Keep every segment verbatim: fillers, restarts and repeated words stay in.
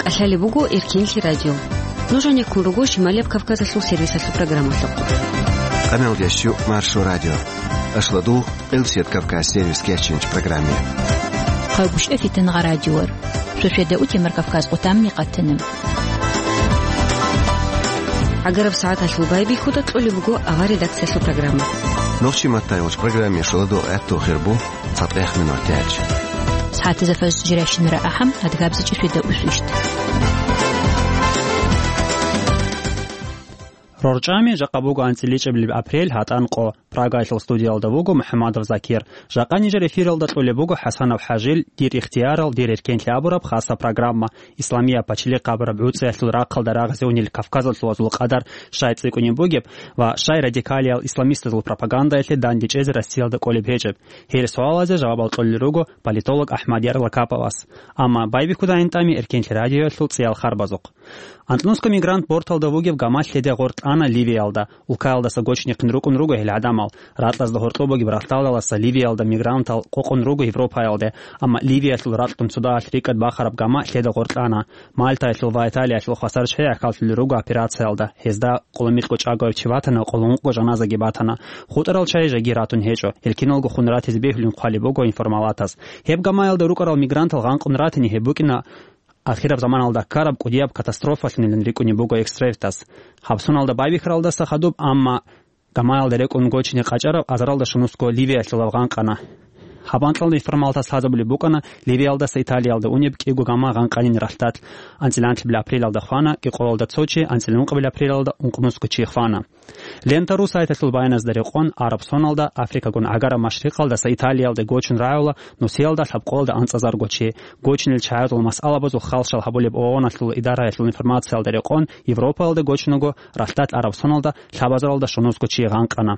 Лъалеб буго Эркенлъи радио. Нуж гьанеккун руго Шималияб Кавказалъул сервисалъул программалъухъ. Къамел ящу Маршо радио. Ашладу Элсет Кавказ сервис кечинч программе. Хъайгуща фитин гъа радиор. Шошеда утемар Кавказ къутамни къатанам. Агараб сагӀаталъул байбихьуда кьолеб буго авар редакциялъул программа. Нохчи маттайвуч программе шуладу гӀатту хирбу. ЦатӀех минут тяч. СагӀатизафас жиращинара ахӀам, адгабзичӀи шведа усвищт. РорчӀами жакъа буго анцӀиличӀаблеб апрель гьатӀан къо. Прагаялъул студиялда вуго МухӀаммадов Закир. Жакъа нижер эфиралда кьолеб буго ХӀасанов ХӀажил «Дир ихтиярал, дир эркенлъи» абураб хаса программа. Исламияб пачалихъ абураб гӀуцӀиялъул рахъалда рагъазе унел кавказалъул вазул къадар щай цӀикӀкӀунеб бугеб ва щай радикалиял исламистазул пропагандаялъе дандечӀезе Россиялда кӀолеб гьечӀеб? Гьел суалазе жавабал кьолел руго политолог АхӀмад Ярлакаповас. Амма байбихьуда гӀинтӀами Эркенлъи радиоялъул цӀиял харбазухъ. Антлонско мигрант борталда вугеб гама лъеде гъоркьана Ливиялда. Улкаялдаса гочнихъин рукӀун руго гьел гӀадамал. Ракьазда гьоркьоб бугеб ралъдалдаласа Ливиялда мигрантал къокъун руго Европаялде, амма Ливиялъул ракьгун цодаялъ рикӀкӀад бахараб гама лъеда гъоркьана. Мальтаялъул ва Италиялъул хвасар чӀей гӀахьаллъулел руго операциялда. Гьезда къулумикьго чӀаго чи ватана, къулумукъго жаназаги батана. ХутӀарал чай жеги ратун гьечӀо. Гьел киналго хун ратизе бегьулин хъвалеб буго информалатас. Гьеб гамаялда рукӀарал мигрантал гъанкъун ратине гьеб букӀина ахираб заманалда ккараб кӀудияб катастрофалъунилан рикӀкӀунеб буго экстревтас. Гьаб соналда байбихьаралдаса хадуб, амма гамаялда рекӀун гочине къачӀараб азаралда шунусго Ливиялъулав гъанкъана. Гьаб анкьалда информалатас лъазабулеб букӀана Ливиялдаса Италиялда унеб кӀиго гама гъанкъанин ралъдалъ. АнцӀила анлъабил апрелалда хвана, кӀикъоялда цо чи, анцӀила ункъабил апрелалда ункънусго чи хвана. Лента ру сайталъул баяназда рекъон, араб соналда Африкагун гӀагараб машрикъалдаса Италиялде гочун рагӀула нусиялда лъабкъоялда анцӀазарго чи. Гочинел чагӀазул масъалабазул халщал гьабулеб ООНалъул идараялъул информациялда рекъон, Европаялда гочунаго ралъдалъ араб соналда лъабазаралда шунусго чи гъанкъана.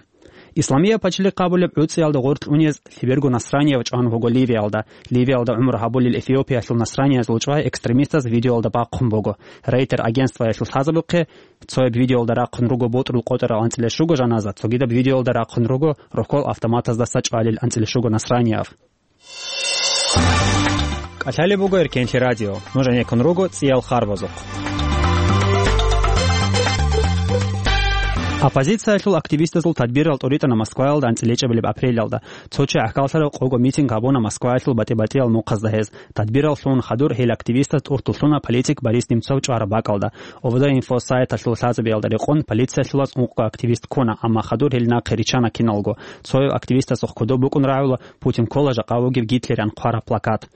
Исламияб пачалихъ абулеб гӀуцӀиялда гъоркь унез лъеберго насранияв чӀван вуго Ливиялда. Ливиялда гӀумру гьабулел Эфиопиялъул насраниязул чӀвай экстремистаз видеоялда бахъун буго. Рейтер агентствоялъул лъазабухъе, цояб видеоялда рахъун руго бутӀрул къотӀарал анцӀила щуго жаназа, цогидаб видеоялда рахъун руго рокол автоматаздаса чӀвалел анцӀила щуго насранияв. КӀалъалеб буго Эркенлъи радио. Нуж гӀенеккун руго цӀиял харбазухъ. Оппозициялъул активистазул тадбирал тӀуритӀана Москваялда анцӀила чӀебилеб апрелалда. Цо чи гӀахьаллъараб къого митинг гьабуна Москваялъул батӀи-батӀиял мухъазда гьез. Тадбираллъун хадур гьел активистаз тӀуртуллъуна политик Борис Немцов чӀвараб бакӀалда. ОВД-инфо сайталъул лъазабиялда рекъон, полициялъулаз ункъго активист ккуна, амма хадур гьел нахъе риччана киналго. Цояв активистасухъ кодоб букӀун рагӀула «Путин ккола жакъа вугев Гитлерян» хъвараб плакат.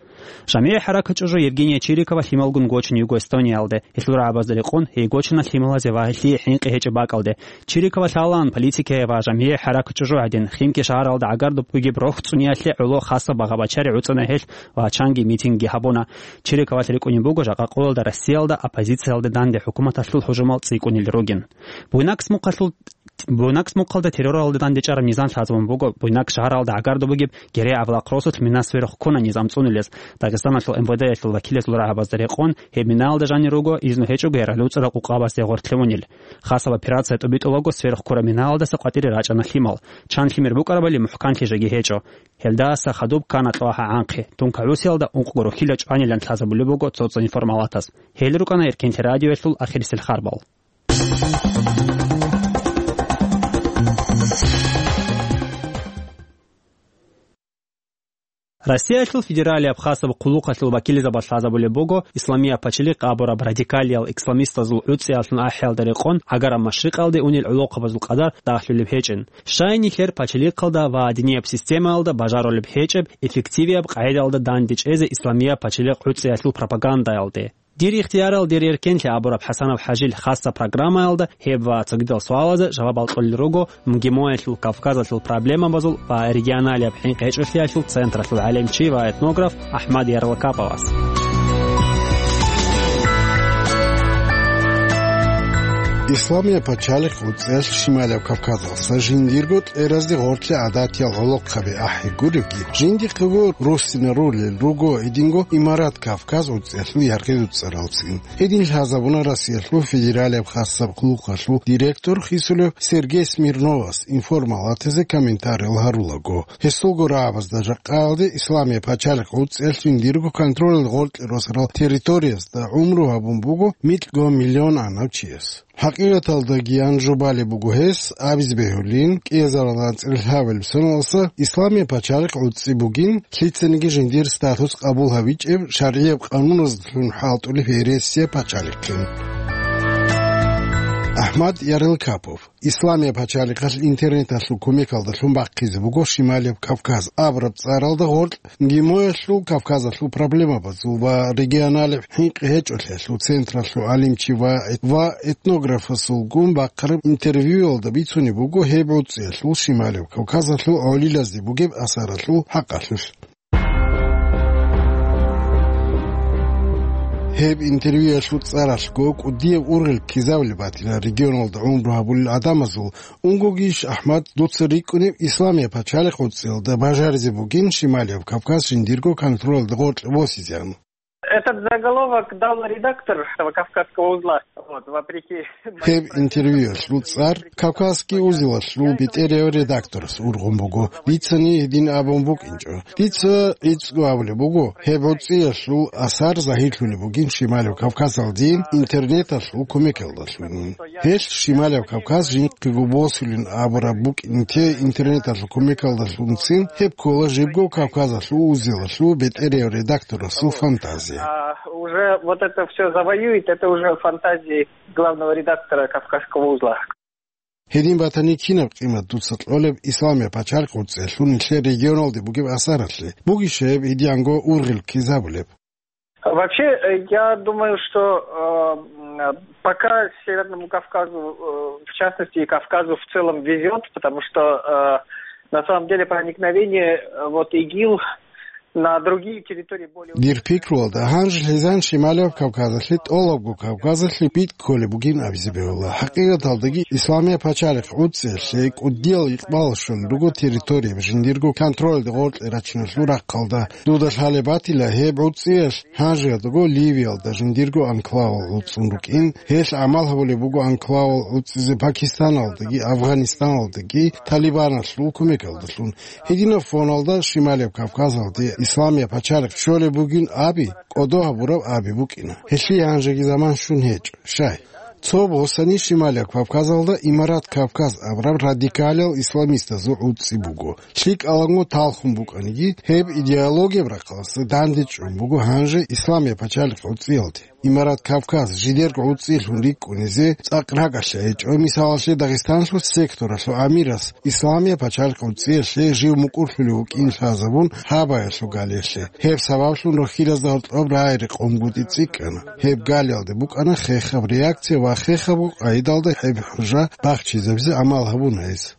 ЖамигӀи хӀаракат чӀужу Евгения Чирикова лъималгун гочун йиго Эстониялде. Гьелъул рагӀабазда рекъон, гьей гочана лъималазе ва гьелъие хӀинкъи гьечӀеб бакӀалде. Чирикова лъалаан политикае ва жамигӀи хӀаракат чӀужугӀадин, Химки шагьаралда гӀагардоб бугеб рохь цӀуниялъе гӀоло хасаб багъа-бачари гӀуцӀана гьелъ ва чанги митингги гьабуна. Чириковалъ рикӀкӀунеб буго жакъа къоялда Россиялда оппозициялде данде хӀукуматалъул гьужумал цӀикӀкӀунел ругин. Буйнакс мухъалъул, Буйнакс мухъалда терроралда дандечӀараб низам лъазабун буго Буйнакс шагьаралда гӀагардоб бугеб Герей авлахъ росулъ мина сверухъ ккуна низам цӀунулез. Дагъистаналъул МВД-ялъул вакилазул рагӀабазда рекъон, гьеб минаялда жанир руго изну гьечӀого яралуцӀарал къукъабазде гъоркьлъи унел. Хасаб операция тӀубитӀулаго сверухъ ккураб минаялдаса къватӀире рачӀана лъимал. Чан лъимер букӀарабали мухӀканлъи жеги гьечӀо. Гьелдаса хадуб ккана кьвагьа гӀанхъи. Тунка гӀусиялда ункъго рухьила чӀванилан лъазабулеб буго цо-цо информалатас. Гьел рукӀана Эркенлъи радиоялъул ахирисел харбал. Россиялъул федералияб хасаб хъулухъалъул вакилзабаз лъазабулеб буго Исламияб пачалихъ абураб радикалиял исламистазул гӀуцӀиялъун ахӀиялда рекъон гӀагараб машрикъалде унел гӀолохъабазул къадар дагьлъулеб гьечӀин. Щай нилъер пачалихъалда ва динияб системаялда бажарулеб гьечӀеб эффективияб къагӀидаялда дандечӀезе Исламияб пачалихъ гӀуцӀиялъул пропагандаялде? Дир ихтиярал, дир эркенлъи абураб ХӀасанов ХӀажил хасса программаялда гьеб ва цогидал суалазе жавабал кьолел руго МГИМО-ялъул Кавказалъул проблемабазул ва регионалияб хӀинкъи-гьечӀолъиялъул централъул гӀалимчи ва этнограф АхӀмад Ярлакаповас. Исламияб пачалихъ гӀуцӀиялъ Шималияб Кавказалъа жиндирго кьеразде гъорлъе гӀадатиял гӀолохъаби ахӀи гуревги, жиндихъего руссинарулел руго гьединго Имарат Кавказ гӀуцӀиялъул яргъи-дуцӀаралцин. Гьедин лъазабуна Россиялъул федералияб хасаб къуллукъалъул директор хисулев Сергей Смирновас информалатазе комментариял гьарулаго. Гьесулго рагӀабазда жакъаялде Исламияб пачалихъ гӀуцӀиялъ жиндирго контролалда гъоркье росарал территориязда гӀумру гьабун буго микьго миллион анав чияс. ХӀакъикъаталдаги, ан жубалеб буго гьес, абизе бегьулин, кӀиазаралда анцӀила лъабабилеб соналдаса Исламияб пачалихъ гӀуцӀи бугин, лъицаниги жиндир статус къабул гьабичӀеб шаргӀияб къануназдалъун хӀалтӀулеб гьересияб пачалихъин. Ахмад Ярылкапов. Исламияб пачалихъалъ интернеталъул кумекалдалъун бахъизе буго Шималияб Кавказ абураб цӀаралда гъоркь ГМОялъул, Кавказалъул проблемабазул ва регионалияб хӀинкъи гьечӀолъиялъул централъул гӀалимчи ва эт-, ва этнографасулгун бахъараб интервьюялда бицунеб буго гьеб гӀуцӀиялъул Шималияб Кавказалъул гӀолилазде бугеб асаралъул хӀакъалъулъ. Гьеб интервьюялъул цӀаралъго кӀудияб ургъел ккезабулеб батила регионалда гӀумру гьабулел гӀадамазул. Унгогищ, Ахмад, дуца рикӀкӀунеб Исламияб пачалихъ гӀуцӀиялда бажаризе бугин Шималияб Кавказ жиндирго контролалда гъоркье босизеян? Этот заголовок дал редактор этого Кавказского узла. Вот, вопреки Гьеб интервьюялъул цӀар Кавказский узелалъул бетӀерияв редакторас ургъун буго. Дицани гьедин абун букӀинчӀо. Дица гӀицӀго абулеб буго, гьеб гӀуцӀиялъул асар загьирлъулеб бугин Шималияб Кавказалдин интернеталъул кумекалдалъунин. Гьелъ Шималияб Кавказ жинхъего босулин абураб букӀин те интернеталъул кумекалдалъунцин, гьеб ккола жибго Кавказалъул узелалъул бетӀерияв редакторасул фантазия. А уже вот это всё завоюет, это уже фантазии главного редактора Кавказского узла. Гьедин батани, кинаб къимат дуца кьолеб Исламияб пачалихъ гӀуцӀиялъул нилъер регионалде бугеб асаралъе? Бугищ гьеб гьединго ургъел ккезабулеб? Вообще, э, я думаю, что, э, м, пока Северному Кавказу, э, в частности, и Кавказу в целом везёт, потому что, э, на самом деле проникновение, э, вот ИГИЛ на другие территории более Дир пикруялда, гьанже лъезан Шималияб Кавказалъе, тӀолабго Кавказалъе битӀ кколеб бугин абизе бегьула. ХӀакъикъаталдаги, Исламияб пачалихъ гӀуцӀиялъе кӀудиял икъбал щолел руго территорияб жиндирго контролалда гъоркье рачиналъул рахъалда. Дуда лъалеб батила, гьеб гӀуцӀиялъ гьанжеялдаго Ливиялда жиндирго анклавал гӀуцӀун рукӀин, гьелъ гӀамал гьабулеб буго анклавал гӀуцӀизе Пакистаналдаги, Афганистаналдаги Талибаналъул кумекалдалъун. Гьединаб фоналда Шималияб Кавказалде Исламияб пачалихъ щолеб бугин аби, кӀодо гьабураб аби букӀина. Гьелъие гьанжеги заман щун гьечӀо. Щай? Цо босани Шималияб Кавказалда Имарат Кавказ абураб радикалиял исламистазул гӀуцӀи буго. ЛъикӀаланго талхун букӀаниги, гьеб идеологияб рахъалъа дандечӀун буго гьанже Исламияб пачалихъ гӀуцӀиялде. Имарат Кавказ жидерго гӀуцӀилъун рикӀкӀунизе цӀакъ ракӀалъа гьечӀо, мисалалъе, Дагъистанлъул секторалъул амирас Исламияб пачалихъ гӀуцӀиялъе жив мукӀурлъулев вукӀин лъазабун гьабаялъул галиялъе. Гьеб сабаблъун рохьилазда гьоркьоб рагӀи-рекъонгутӀи цӀикӀкӀана. Гьеб галиялде букӀана хехаб реакция ва хехабго къайдалда гьеб хӀужа бахчизабизе гӀамал гьабуна гьес.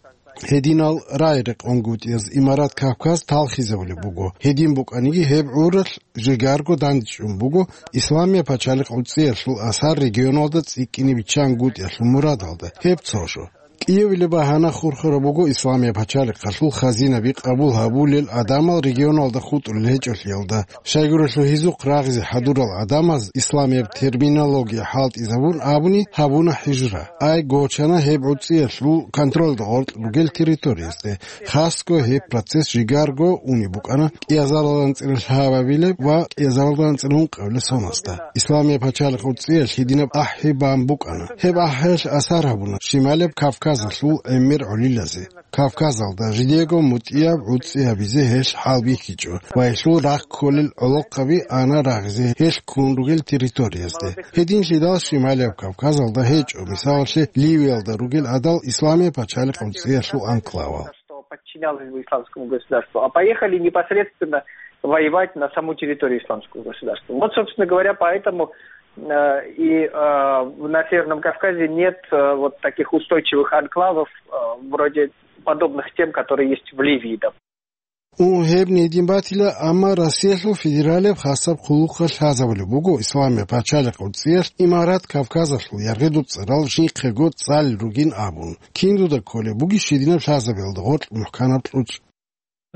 Гьединал рагӀи-рекъонгутӀияз Имарат Кавказ талхизабулеб буго. Гьедин букӀаниги, гьеб гӀуралъ жигарго дандчӀун буго Исламияб пачалихъ гӀуцӀиялъул асар регионалда цӀикӀкӀине биччан гутӀиялъул мурадалда. Гьеб цо жо. КӀиявилеб багьана хурхараб буго Исламияб пачалихъалъул хазинаби къабул гьабулел гӀадамал регионалда хутӀулел гьечӀолъиялда. Щайгурелъул гьезухъ рагъизе хӀадурал гӀадамаз исламияб терминология хӀалтӀизабун абуни гьабуна хӀижра. Ай гочана гьеб гӀуцӀиялъул контролда гъоркь ругел территориязде. Хасго гьеб процесс жигарго унеб букӀана кӀиазаралда анцӀила лъабабилеб ва кӀиазаралда анцӀила ункъабилеб соналда. Исламияб пачалихъ гӀуцӀиялъ гьединаб ахӀи бан букӀана. Гьеб ахӀиялъ асар гьабуна Шималияб Кавказалъул гӀемер гӀолилазе. Кавказалда жидего мутӀигӀаб гӀуцӀи гьабизе гьелъ хӀалбихьичӀо ва гьелъул рахъ кколел гӀолохъаби ана рагъизе гьелъ ккун ругел территориязде. Гьединлъидал Шималияб Кавказалда гьечӀо, мисалалъе, Ливиялда ругел гӀадал Исламияб пачалихъ гӀуцӀиялъул анклавал. Что подчинялось бы исламскому государству, а поехали непосредственно воевать на саму территорию исламского государства. Вот, собственно говоря, поэтому, э, и, э, на Северном Кавказе нет, э, вот таких устойчивых анклавов, э, вроде подобных тем, которые есть в Ливии, допустим. Ун гьеб гьедин батила, амма Россиялъул федералияб хасаб хъулухъалъ лъазабулеб буго Исламияб пачалихъ гӀуцӀиялъ Имарат Кавказалъул яргъидул цӀарал жинхъего цӀалел ругин абун. Киндуда кколеб бугищ гьединаб лъазабиялда гъоркь мухӀканаб кьучӀ?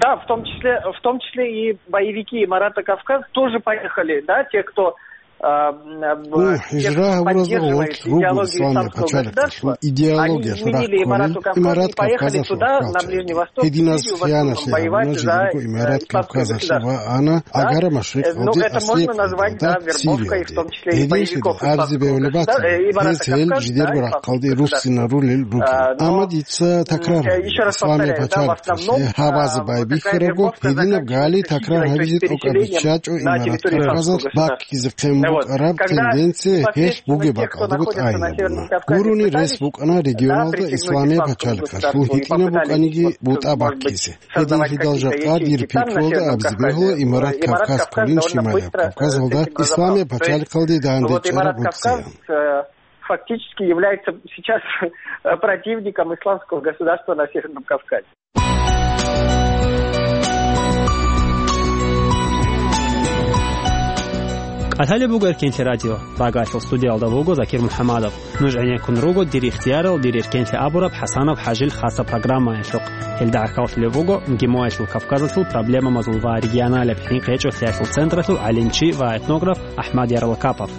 Да, в том числе, в том числе и боевики Марата Кавказ тоже поехали, да, те, кто, а, м, б-, Ун те, кто хӀижра гьабуразда поддерживает гъоркь руго идеологию Исламияб исламского пачалихъалъул государства, они идеологиялъ изменили рахъунел Марата Кавказу Имарат и поехали Кавказалъул туда, на рахъалъ Ближний чӀеги. Восток, в Гьединаз Сирию, в основном хиянат воевать лъугьуна за, жидерго э, Имарат исламское Кавказалъе государство. Ва ана Да? Агара Э, ну, машрикъалде, это можно аслияб назвать, да, къагӀидалда, вербовкой, в Сириялде. том числе и Гьединлъидал боевиков абизе Исламского бегьулеб государства, бацани, э, и Марата гьез гьел Кавказ, жидерго да, рахъалде исламское государство. руссинарулел ругин. А, но, Амма дица м, такрар э, гьабе, ещё раз Исламияб повторяю, да, в пачалихъалъе основном, гьабазе а, вот байбихьарабго, такая вербовка гьединаб гали заказывается такрар исключительно гьабизе тӀокӀаб исключением биччачӀо на Имарат территории Кавказалъ Исламского государства. Баккизе хъен Вот. букӀараб Когда тенденция гьелъ непосредственно бугеб те, кто бакӀалдаго находится на тӀайинабуна. Северном Кавказе, Гурони рес пытались, букӀана да, регионалда присоединиться Исламияб к государству пачалихъалъул и попытались гьитӀинаб что-то, букӀаниги может быть, бутӀа создавать баккизе. Гьедин какие-то лъидал ячейки жакъа дир там, на пикруялда Северном абизе Кавказе, бегьула э, Имарат Имарат Кавказ Кавказ кколин довольно шималияб быстро, э, с Кавказалда этим Исламияб разобрался. То есть, пачалихъалде дандечӀараб вот Имарат гӀуцӀиян. Кавказ, э, фактически является сейчас, э, противником исламского государства на Северном Кавказе. КӀалъалеб буго Эркенлъи радио. Прагалъул студиялда вуго Закир МухӀаммадов. Нуж гӀенеккун руго «Дир ихтиярал, дир эркенлъи» абураб ХӀасанов ХӀажил хасаб программаялъухъ. Гьелда гӀахьаллъулеб буго МГИМОялъул Кавказалъул проблемабазул ва регионалияб хӀинкъи гьечӀолъиялъул централъул гӀалимчи ва этнограф АхӀмад Ярлакапов.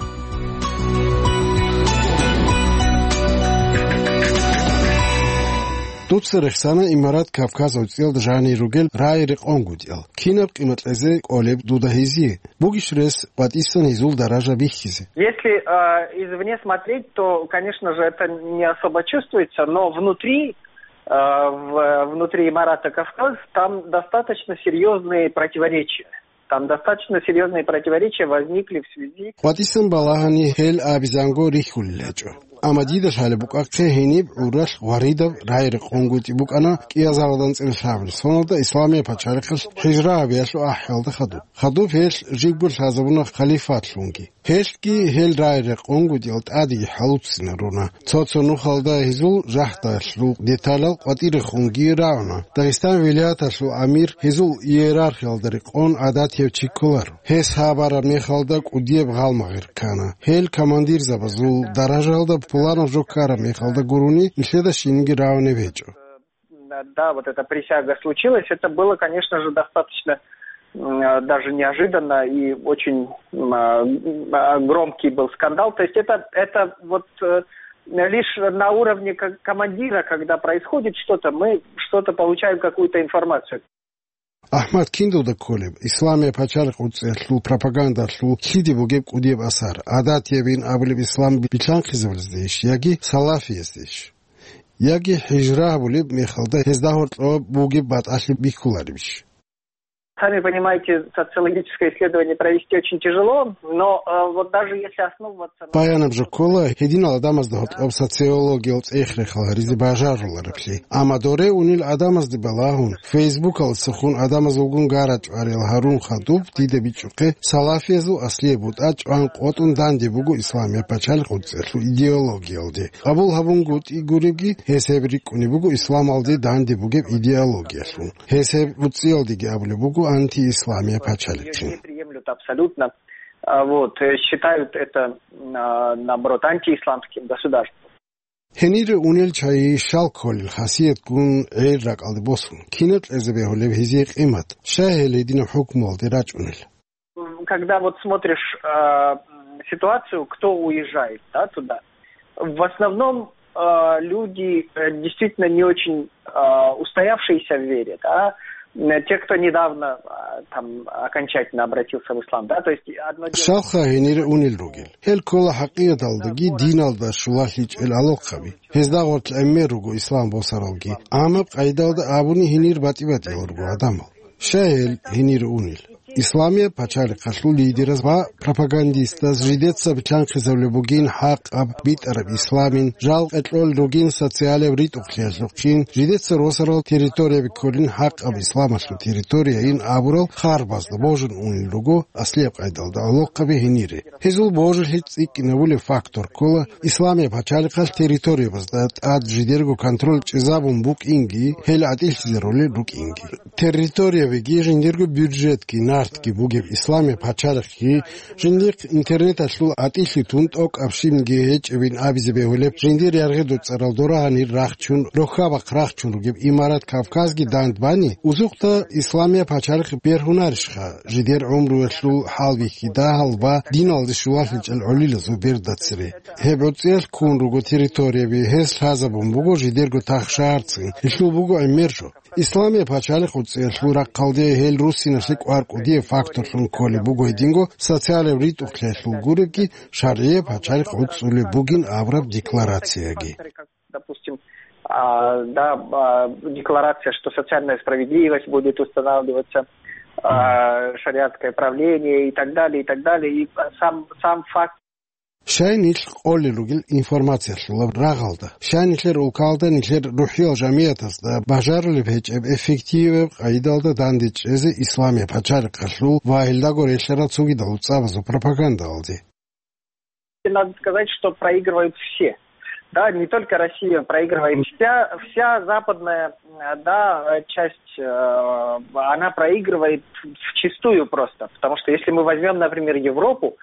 Дуца рехсана Имарат Кавказ гӀуцӀиялда жанир ругел рагӀи-рекъон гутӀиял. Кинаб къимат кьезе кӀолеб дуда гьезие? Бугищ рес къватӀисан гьезул даража бихьизе? Если, а, извне смотреть, то, конечно же, это не особо чувствуется, но внутри, а, в-, внутри Имарата Кавказ там достаточно серьёзные противоречия. Там достаточно серьёзные противоречия возникли в связи КъватӀисан балагьани гьел абизанго рихьулел гьечӀо. Амма дида лъалеб букӀахъе гьениб гӀуралъ гъваридаб рагӀи-рекъон гутӀи букӀана кӀиазаралда анцӀила лъабабилеб соналда Исламияб пачалихъалъ хӀижра гьабиялъул ахӀиялда хадуб. Хадуб гьелъ жибго лъазабуна халифатлъунги. Гьелъги гьел рагӀи-рекъон гутӀиял тӀадеги хӀалуццинарун. Цо-цо нухалда гьезул жагьдалъул деталал къватӀирехунги рагӀуна. Дагъистан вилаяталъул амир гьезул иерархиялда рекъон гӀадатияв чи кколаро. Гьес гьабараб мехалда кӀудияб гъалмагъир ккана. Гьел командирзабазул даражаялда пуланаб жо ккараб мехалда гурони, нилъеда щинги рагӀунеб гьечӀо. Да, вот эта присяга случилась. Это было, конечно же, достаточно, м, а, даже неожиданно и очень, м, а, м, а, громкий был скандал. То есть это, это вот, э, лишь на уровне ко-, командира, когда происходит что-то, мы что-то получаем, какую-то информацию. АхӀмад, киндуда кколеб Исламияб пачалихъ гӀуцӀиялъул пропагандалъул лъиде бугеб кӀудияб асар? ГӀадатиябин абулеб ислам билълъанхъизабаздейищ яги салафияздейищ? Яги хӀижра гьабулеб мехалда гьезда гьоркьоб бугеб батӀалъи бихьуларебищ? Сами понимаете, социологическое исследование провести очень тяжело, но, э, вот даже если основываться на Баянаб жо ккола гьединал гӀадамазда гьоркьоб социологиял цӀех-рехал гьаризе бажарулареблъи. Амма доре унел гӀадамазде балагьун, фейсбукалдасухъун гӀадамаз вугун гарачӀварал гьарун хадуб, дида бичӀчӀухъе, салафиязул аслияб бутӀа чӀван къотӀун данде буго Исламияб пачалихъ гӀуцӀиялъул идеологиялде. Къабул гьабунгутӀи гуребги, гьес гьеб рикӀкӀунеб буго исламалде данде бугеб идеологиялъун. Гьес гьеб гӀуцӀиялдеги абулеб буго антиисламияб пачалихъин. Не приемлют абсолютно. А, вот, э, считают это, а, наоборот, антиисламским государством. Гьенире унел чагӀи щал кколел хасиятгун гӀел ракӀалде босун, кинаб кьезе бегьулеб гьезие къимат, щай гьел гьединаб хӀукмуялде рачӀунел? Когда вот смотришь, а, м, ситуацию, кто уезжает, да, туда, в основном, а, люди, э, действительно не очень, а, устоявшиеся в вере, да, м, те, кто недавно, а, там, окончательно обратился в ислам, да, то есть одно дело Щалха гьенире унел ругел. Гьел ккола хӀакъикъаталдаги диналда щулалъичӀел алохъаби. Гьезда гъоркь гӀемер руго ислам босаралги. Амма къайдалда абуни гьенир батӀи-батӀиял руго гӀадамал. Щай гьел гьенире унел? Исламияб пачалихъалъул лидераз ва пропагандистаз жидеца билълъанхъизабулеб бугин хӀакъаб битӀараб исламин, жал къекъолел ругин социалияб ритӀухълъиялъухъин, жидеца росарал территорияби кколин хӀакъаб исламалъул территорияин абурал харбазда божун унел руго аслияб къайдалда гӀолохъаби гьенире. Гьезул божилъи цӀикӀкӀинабулеб фактор ккола, Исламияб пачалихъалъ территориябазда тӀад жидерго контроль чӀезабун букӀинги, гьел гӀатӀилъизарулел рукӀинги. Территориябиги, жиндирго бюджетги, нартги бугеб Исламияб пачалихъги, жиндихъ интернеталъул гӀатӀилъи тун тӀокӀаб щибниги гьечӀебин абизе бегьулеб, жиндир яргъи-дуцӀарал дора-гьанир рахчун, рохьа-бахъ рахчун ругеб имарат Кавказги дандбани, узухъда Исламияб пачалихъ бергьунарищха, жидер гӀумруялъул хӀалбихьи дагьал ва диналде щулалъичӀел гӀолилазул берда цере. Гьеб гӀуцӀиялъ ккун руго территорияби, гьес лъазабун буго жидерго тахшарцин, гьелъул буго гӀемер жо. Исламияб пачалихъ гӀуцӀиялъул рахъалде гьел руссиналъе кӀвар кӀудияб факторлъун кколеб буго гьединго социалияб ритӀухълъиялъул гуребги шаргӀияб пачалихъ гӀуцӀулеб бугин абураб декларацияги. Допустим, а, да, а, декларация, что социальная справедливость будет устанавливаться, а, шариатское правление и так далее, и так далее. И сам, сам факт. Щай нилъ къолел ругел информациялъулаб рагъалда, щай нилъер улкалда нилъер рухӀиял жамиятазда бажарулеб гьечӀеб эффективаб къайдалда дандечӀезе Исламияб пачалихъалъул ва гьелдаго релълъарал цогидал цӀабазул пропагандалде? Надо сказать, что проигрывают все. Да, не только Россия проигрывает. Вся, вся западная, э, да, э, часть, э, она проигрывает вчистую просто. Потому что если мы возьмём, например, Европу,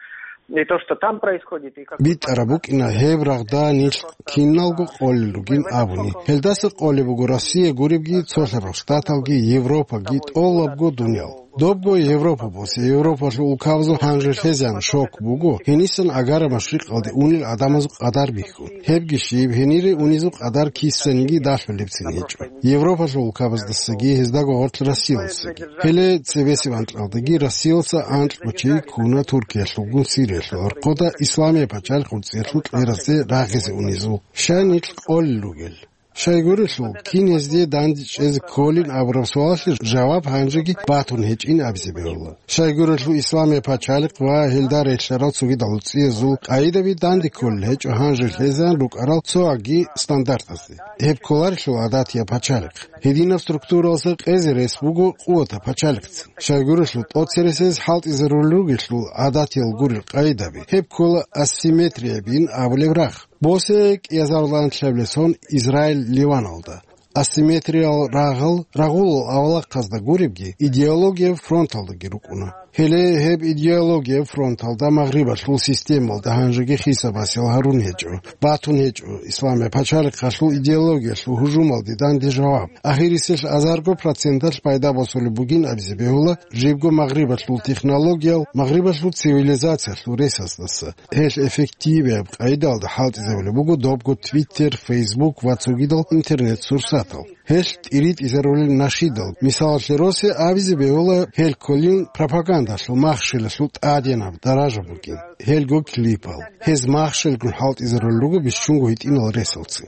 и то, что там происходит, и как... БитӀараб букӀина гьеб рагъда нилъ киналго къолел ругин абуни. Гьелдаса къолеб буго Россия гуребги, цолъарал штаталги, Европаги, тӀолабго дуниял. Добго Европа босе, Европалъул улкабазул гьанже лъезеян шок буго, гьенисан агара машрикъалде унел гӀадамазул къадар бихьун. Гьебги щиб, гьенире унезул къадар кисаниги далъулебцин гьечӀо. Европалъул улкабаздасаги, гьездаго гъорлъ Россиялдасаги. Гьеле цебесеб анкьалдаги Россиялдаса анкьго чи ккуна Туркиялъулгун Сириялъул гӀорхъода Исламияб пачалихъ гӀуцӀиялъул кьеразе рагъизе унезул. Щай нилъ къолел ругел? Щайгурелъул, кин гьезде данде чӀезе кколин абураб суалалъе жаваб гьанжеги батун гьечӀин абизе бегьула. Щайгурелъул, Исламияб пачалихъ ва гьелда релълъарал цогидал гӀуцӀиязул къайдаби данде кколел гьечӀо гьанже лъезеян рукӀарал цоги стандартазде. Гьеб кколарелъул гӀадатияб пачалихъ. Гьединаб структуралдаса къезе рес буго къуватаб пачалихъцин. Щайгурелъул, тӀоцересез хӀалтӀизарулел ругелъул гӀадатиял гурел къайдаби, гьеб ккола асимметриябин абулеб рагъ. Босе кӀиазарулан лъабилеб сон Израиль Ливаналда. Асимметриял рагъал рагъулал авлахъазда гуребги, идеологияб фронталдаги рукӀуна. Гьеле гьеб идеологияб фронталда Магърибалъул системалда гьанжеги хисабасел гьарун гьечӀо, батун гьечӀо Исламияб пачалихъалъул идеологиялъул гьужумалде данде жаваб. Ахирисел азарго проценталъ пайда босулеб бугин абизе бегьула жибго Магърибалъул технологиял, Магърибалъул цивилизациялъул ресаздаса. Гьелъ эффективияб къайдалда хӀалтӀизабулеб буго добго Twitter, Facebook ва цогидал интернет-сурсатал. Гьелъ тӀиритӀизарулел нашидал, мисалалъе, росе абизе бегьула гьел кколин пропагандалъул махщелалъул тӀаденаб даража бугин, гьелго клипал. Гьез махщелгун хӀалтӀизарулел руго бищунго гьитӀинал ресалцин.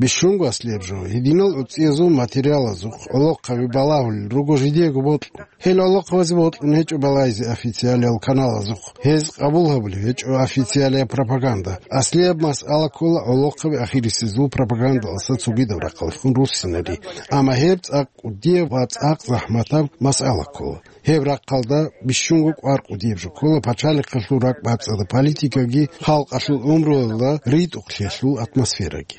Бищунго аслияб жо, гьединал гӀуцӀиязул материалазухъ гӀолохъаби балагьулел руго жидеего бокьун. Гьел гӀолохъабазе бокьун гьечӀо балайзе официалиял каналазухъ. Гьез къабул гьабулеб гьечӀо официалияб пропаганда. Аслияб масъала ккола гӀолохъаби ахирисезул пропагандалдаса цогидаб рахъалъун руссинари. Амма гьеб цӀакъ кӀудияб ва цӀакъ захӀматаб масъала ккола. Гьеб рахъалда бищунго кӀвар кӀудияб жо ккола пачалихъалъул ракӀбацӀцӀадаб политикаги, халкъалъул гӀумруялда ритӀухълъиялъул атмосфераги.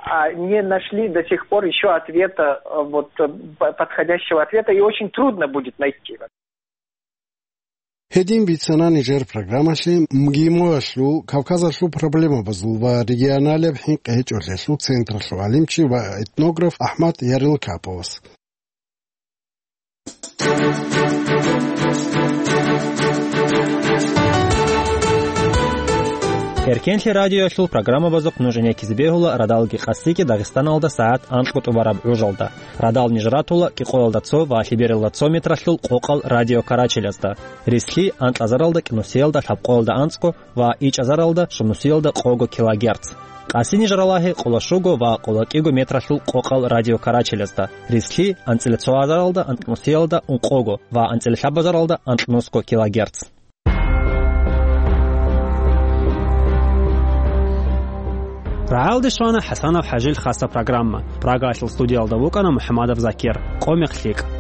А не нашли до сих пор ещё ответа, э, вот, э, п-, подходящего ответа, и очень трудно будет найти. Гьедин бицана нижер программалъе МГИМО-ялъул, Кавказалъул проблемабазул ва регионалияб хӀинкъи гьечӀолъиялъул централъул гӀалимчи ва этнограф АхӀмад Ярилкаповас. Эркенлъи радиоялъул программабазухъ нуж гӀенеккизе бегьула радалги къасиги Дагъистаналда сагӀат анкьго тӀубараб гӀужалда. Радал ниж ратула кӀикъоялда цо ва лъебералда цо метралъул къокъал радиокарачелазда. Рислъи анкьазаралда кӀинусиялда лъабкъоялда анцӀго ва ичӀазаралда щунусиялда къого килогерц. Гьасие ниж ралагье къоло щуго ва къоло кӀиго метралъул къокъал радиокарачелазда, рислъи анцӀила цо азаралда анкьнусиялда ункъого ва анцӀила лъабазаралда анкьнусго килогерц. РагӀалде щвана ХӀасанов ХӀажил хасаб программа. Прагаялъул студиялда вукӀана МухӀамадов Закир. Къо мех лъикӀ.